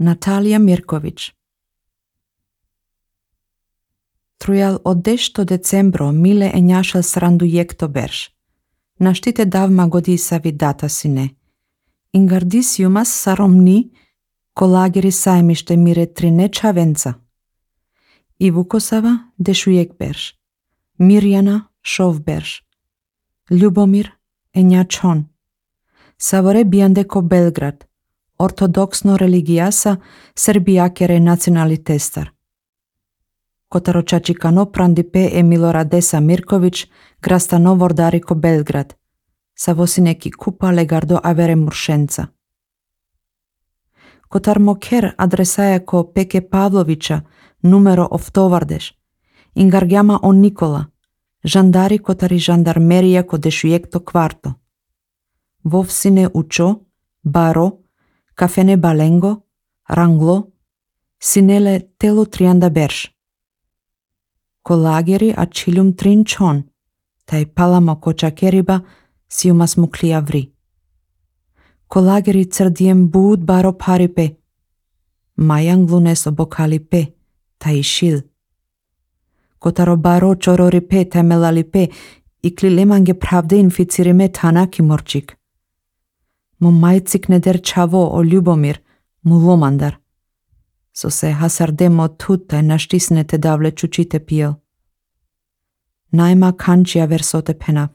Natalija Mirković. Trujal od 10 decembro mile enjašal srandu jekto berš. Naštite davma godisavi data sine. Ingardis jumas saromni kolagiri sajmište mire trine čavenca. I Vukosava dešujek berš. Mirjana šov berš. Ljubomir enjačon. Savore biandeko Belgrad. Ortodoksno religiasa serbijakere nacionalitestar. Kotaro čačikano prandipe Emiloradesa Mirković grastano vordariko Belgrad. Savosineki kupa legardo avere muršenca. Kotar moker adresajako Peke Pavlovića numero oftovardeš. Ingargjama on Nikola. Žandari kotari žandarmerija kodešujekto kvarto. Vovsine učo, baro, Kafene Balengo, Ranglo, sinele telo trianda berš. Kolageri a čilum trinčon, taj palamo kočakeriba siumas muklija vri. Kolageri crdijem bud baro paripe, majanglunes obokalipe, taj šil. Kotaro baro čororipe temelalipe i klilemange pravde inficirime tanaki morčik. Mo majcik neder čavo o Ljubomir, mu lomandar. So se hasardemo tutaj naštisnete davle čučite pijel. Najma kančija versote pena.